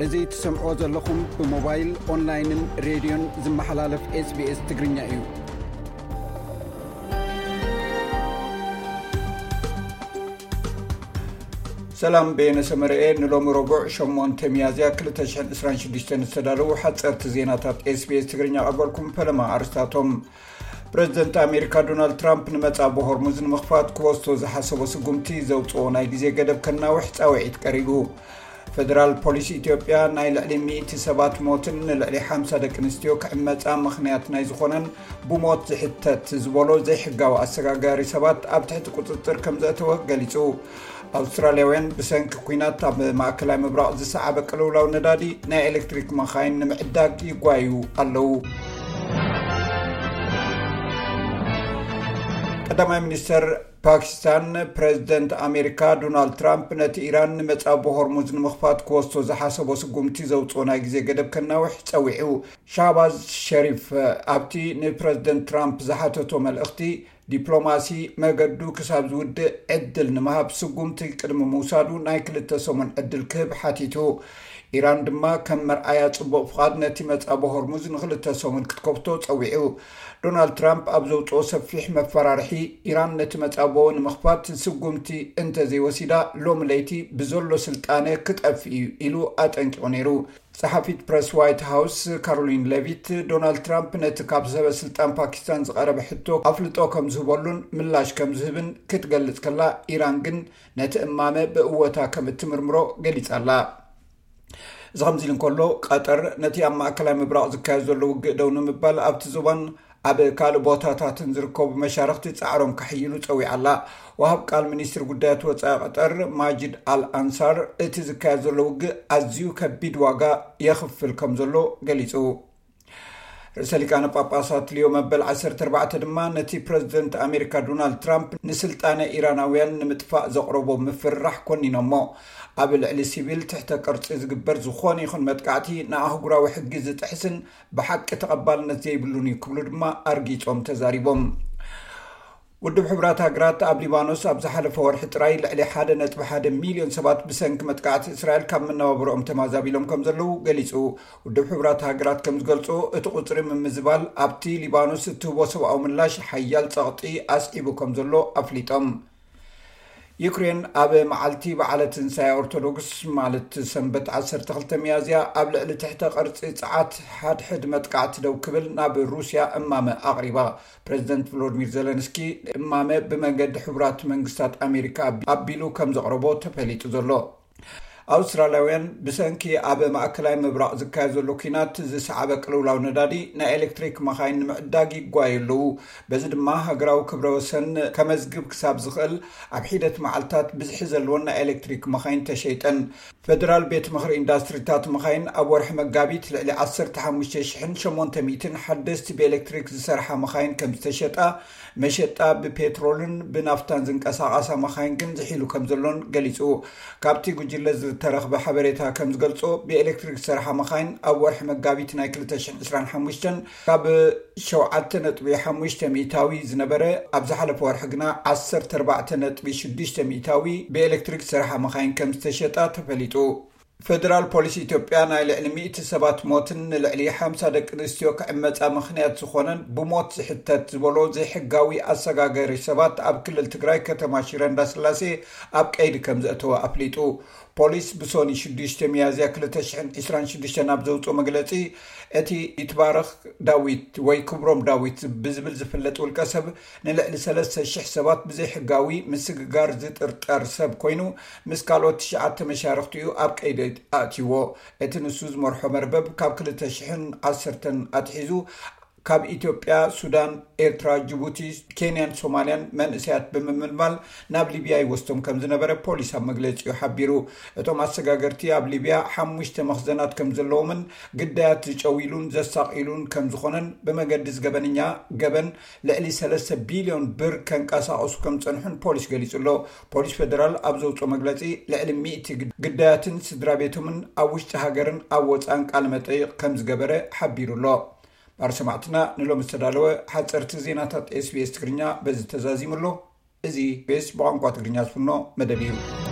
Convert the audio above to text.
እዚ ትሰምዕዎ ዘለኹም ብሞባይል፣ ኦንላይንን ሬድዮን ዝመሓላለፍ ኤስቢኤስ ትግርኛ እዩ። ሰላም፣ በየነ ሰመረኤ። ንሎሚ ረቡዕ ሸሞንተ ሚያዝያ ክልተ ሽሕን ዕስራን ሽዱሽተን ዝተዳለዉ ሓጸርቲ ዜናታት ኤስቢኤስ ትግርኛ ቀርበልኩም። ፈለማ ኣርስታቶም። ፕረዚደንት ኣሜሪካ ዶናልድ ትራምፕ ንመጻ ብሆርሙዝ ንምኽፋት ክወስዶ ዝሓሰቦ ስጉምቲ ዘውጽኦ ናይ ግዜ ገደብ ከናውሕ ጻውዒት ቀሪቡ። ፈደራል ፖሊስ ኢትዮጵያ ናይ ልዕሊ ሚእቲ ሰባት ሞትን ንልዕሊ ሓምሳ ደቂ ኣንስትዮ ክዕመጻ ምኽንያት ናይ ዝኾነን ብሞት ዝሕተት ዝበሎ ዘይሕጋዊ ኣሰጋጋሪ ሰባት ኣብ ትሕቲ ቁጽጽር ከም ዘእተወ ገሊጹ። ኣውስትራልያውያን ብሰንኪ ኲናት ኣብ ማእከላይ ምብራቕ ዝሰዓበ ቅልውላው ነዳዲ ናይ ኤሌክትሪክ መኻይን ንምዕዳግ ይጓዩ ኣለዉ። ቀዳማይ ሚኒስተር ፓኪስታን ፕረዚደንት ኣሜሪካ ዶናልድ ትራምፕ ነቲ ኢራን ንመጻ ብሆርሙዝ ንምኽፋት ክወስዶ ዝሓሰቦ ስጉምቲ ዘውጽኦ ናይ ግዜ ገደብ ከናውሕ ጸዊዑ። ሻህባዝ ሸሪፍ ኣብቲ ንፕረዚደንት ትራምፕ ዝሓተቶ መልእኽቲ፣ ዲፕሎማሲ መገዱ ክሳብ ዝውድእ ዕድል ንምሃብ ስጉምቲ ቅድሚ ምውሳዱ ናይ ክልተ ሰሙን ዕድል ክህብ ሓቲቱ። ኢራን ድማ ከም መርኣያ ጽቡቕ ፍቓድ ነቲ መጻ ብሆርሙዝ ንክልተ ሰሙን ክትከፍቶ ጸዊዑ። ዶናልድ ትራምፕ ኣብ ዘውጽኦ ሰፊሕ መፈራርሒ፣ ኢራን ነቲ መጻብቦ ንምኽፋት ስጉምቲ እንተዘይወሲዳ፣ ሎሚ ለይቲ ብዘሎ ስልጣነ ክጠፍእ እዩ ኢሉ ኣጠንቂቑ ነይሩ። ጸሓፊት ፕረስ ዋይት ሃውስ ካሮሊን ሌቪት፣ ዶናልድ ትራምፕ ነቲ ካብ ሰበ ስልጣን ፓኪስታን ዝቐረበ ሕቶ ኣፍልጦ ከም ዝህበሉን ምላሽ ከም ዝህብን ክትገልጽ ከላ፣ ኢራን ግን ነቲ እማመ ብእወታ ከም እትምርምሮ ገሊጻ ኣላ። እዚ ከምዚ ኢሉ እንከሎ፣ ቀጠር ነቲ ኣብ ማእከላይ ምብራቕ ዝካየድ ዘሎ ውግእ ደው ንምባል ኣብቲ ዞባን ኣብ ካልእ ቦታታትን ዝርከቡ መሻርኽቲ ጻዕሮም ከሕይሉ ጸዊዓ ኣላ። ወሃብ ቃል ሚኒስትሪ ጉዳያት ወጻኢ ቀጠር ማጂድ ኣል ኣንሳር፣ እቲ ዝካየድ ዘሎ ውግእ ኣዝዩ ከቢድ ዋጋ የኽፍል ከም ዘሎ ገሊጹ። ርእሰ ሊቃነ ጳጳሳት ሊዮ መበል ዓሰርተ ኣርባዕተ ድማ ነቲ ፕረዚደንት ኣሜሪካ ዶናልድ ትራምፕ ንስልጣነ ኢራናውያን ንምጥፋእ ዘቕረቦ ምፍርራሕ ኮኒኖሞ። ኣብ ልዕሊ ሲቪል ትሕተ ቅርጺ ዝግበር ዝኾነ ይኹን መጥቃዕቲ ንኣህጉራዊ ሕጊ ዝጥሕስን ብሓቂ ተቐባልነት ዘይብሉን እዩ ክብሉ ድማ ኣርጊጾም ተዛሪቦም። ውድብ ሕቡራት ሃገራት ኣብ ሊባኖስ ኣብ ዝሓለፈ ወርሒ ጥራይ ልዕሊ ሓደ ነጥቢ ሓደ ሚልዮን ሰባት ብሰንኪ መጥቃዕቲ እስራኤል ካብ መነባብሮኦም ተማዛቢሎም ከም ዘለዉ ገሊጹ። ውድብ ሕቡራት ሃገራት ከም ዝገልጾ፣ እቲ ቁጽሪ ምምዝባል ኣብቲ ሊባኖስ እትህቦ ሰብኣዊ ምላሽ ሓያል ጸቕጢ ኣስዒቡ ከም ዘሎ ኣፍሊጦም። ዩክሬን ኣብ መዓልቲ በዓለ ትንሳኤ ኦርቶዶክስ፣ ማለት ሰንበት ዓሰርተ ክልተ ሚያዝያ፣ ኣብ ልዕሊ ትሕተ ቅርጺ ጸዓት ሓድሕድ መጥቃዕቲ ደው ክብል ናብ ሩስያ እማመ ኣቕሪባ። ፕረዚደንት ቮሎዲሚር ዜለንስኪ እማመ ብመንገዲ ሕቡራት መንግስታት ኣሜሪካ ኣቢ-፣ ኣቢሉ ከም ዘቕረቦ ተፈሊጡ ዘሎ። ኣውስትራልያውያን ብሰንኪ ኣብ ማእከላይ ምብራቕ ዝካየድ ዘሎ ኲናት ዝሰዓበ ቅልውላው ነዳዲ ናይ ኤሌክትሪክ መኻይን ንምዕዳግ ይጓዩ ኣለዉ። በዚ ድማ ሃገራዊ ክብረ ወሰን ከመዝግብ ክሳብ ዝኽእል ኣብ ሒደት መዓልታት ብዝሒ ዘለወን ናይ ኤሌክትሪክ መኻይን ተሸይጠን። ፈደራል ቤት ምኽሪ ኢንዳስትሪታት መኻይን ኣብ ወርሒ መጋቢት ልዕሊ ዓሰርተ ሓሙሽተ ሽሕን ሸሞንተ ሚእትን ሓደስቲ ብኤሌክትሪክ ዝሰርሓ መኻይን ከም ዝተሸጣ፣ መሸጣ ብፔትሮልን ብናፍታን ዝንቀሳቐሳ መኻይን ግን ዝሒሉ ከም ዘሎን ገሊጹ። ካብቲ ጉጅለ ዝተረኽበ ሓበሬታ ከም ዝገልጾ፣ ብኤሌክትሪክ ዝሰርሓ መኻይን ኣብ ወርሒ መጋቢት ናይ ክልተ ሽሕን ዕስራን ሓሙሽተን ካብ ሸውዓተ ነጥቢ ሓሙሽተ ሚእታዊ ዝነበረ፣ ኣብ ዝሓለፈ ወርሒ ግና ዓሰርተ ኣርባዕተ ነጥቢ ሽዱሽተ ሚእታዊ ብኤሌክትሪክ ዝሰርሓ መኻይን ከም ዝተሸጣ ተፈሊጡ። ፈደራል ፖሊስ ኢትዮጵያ፣ ናይ ልዕሊ ሚእቲ ሰባት ሞትን ንልዕሊ ሓምሳ ደቂ ኣንስትዮ ክዕመጻ ምኽንያት ዝኾነን ብሞት ዝሕተት ዝበሎ ዘይሕጋዊ ኣሰጋገሪ ሰባት ኣብ ክልል ትግራይ ከተማ ሽረ እንዳስላሴ ኣብ ቀይዲ ከም ዘእተወ ኣፍሊጡ። ፖሊስ ብሶኒ ሽዱሽተ ሚያዝያ ክልተ ሽሕን ዕስራን ሽዱሽተን ኣብ ዘውፅኦ መግለፂ፣ እቲ ይትባረኽ ዳዊት ወይ ክብሮም ዳዊት ብዝብል ዝፍለጥ ውልቀ ሰብ ንልዕሊ ሰለስተ ሽሕ ሰባት ብዘይሕጋዊ ምስግጋር ዝጥርጠር ሰብ ኮይኑ፣ ምስ ካልኦት ትሽዓተ መሻርኽቲኡ ኣብ ቀይዲ ኣእትይዎ። እቲ ንሱ ዝመርሖ መርበብ ካብ ክልተ ሽሕን ዓሰርተን ኣትሒዙ ካብ ኢትዮጵያ፣ ሱዳን፣ ኤርትራ፣ ጅቡቲ፣ ኬንያን ሶማልያን መንእሰያት ብምምልማል ናብ ሊብያ ይወስዶም ከም ዝነበረ ፖሊስ ኣብ መግለጺኡ ሓቢሩ። እቶም ኣሰጋገርቲ ኣብ ሊብያ ሓሙሽተ መኽዘናት ከም ዘለዎምን ግዳያት ዝጨውይሉን ዘሳቕይሉን ከም ዝኾነን፣ ብመገዲ ዝገበነኛ ገበን ልዕሊ ሰለስተ ቢልዮን ብር ከንቀሳቕሱ ከም ዝጸንሑን ፖሊስ ገሊጹ ኣሎ። ፖሊስ ፌደራል ኣብ ዘውጽኦ መግለጺ፣ ልዕሊ ሚእቲ ግድ-፣ ግዳያትን ስድራ ቤቶምን ኣብ ውሽጢ ሃገርን ኣብ ወጻእን ቃለ መጠይቕ ከም ዝገበረ ሓቢሩ ኣሎ። ባር ሰማዕትና፣ ንሎሚ ዝተዳለወ ሓጸርቲ ዜናታት ኤስቢኤስ ትግርኛ በዚ ተዛዚሙ ኣሎ። እዚ ቤስ ብቋንቋ ትግርኛ ዝፍኖ መደብ እዩ።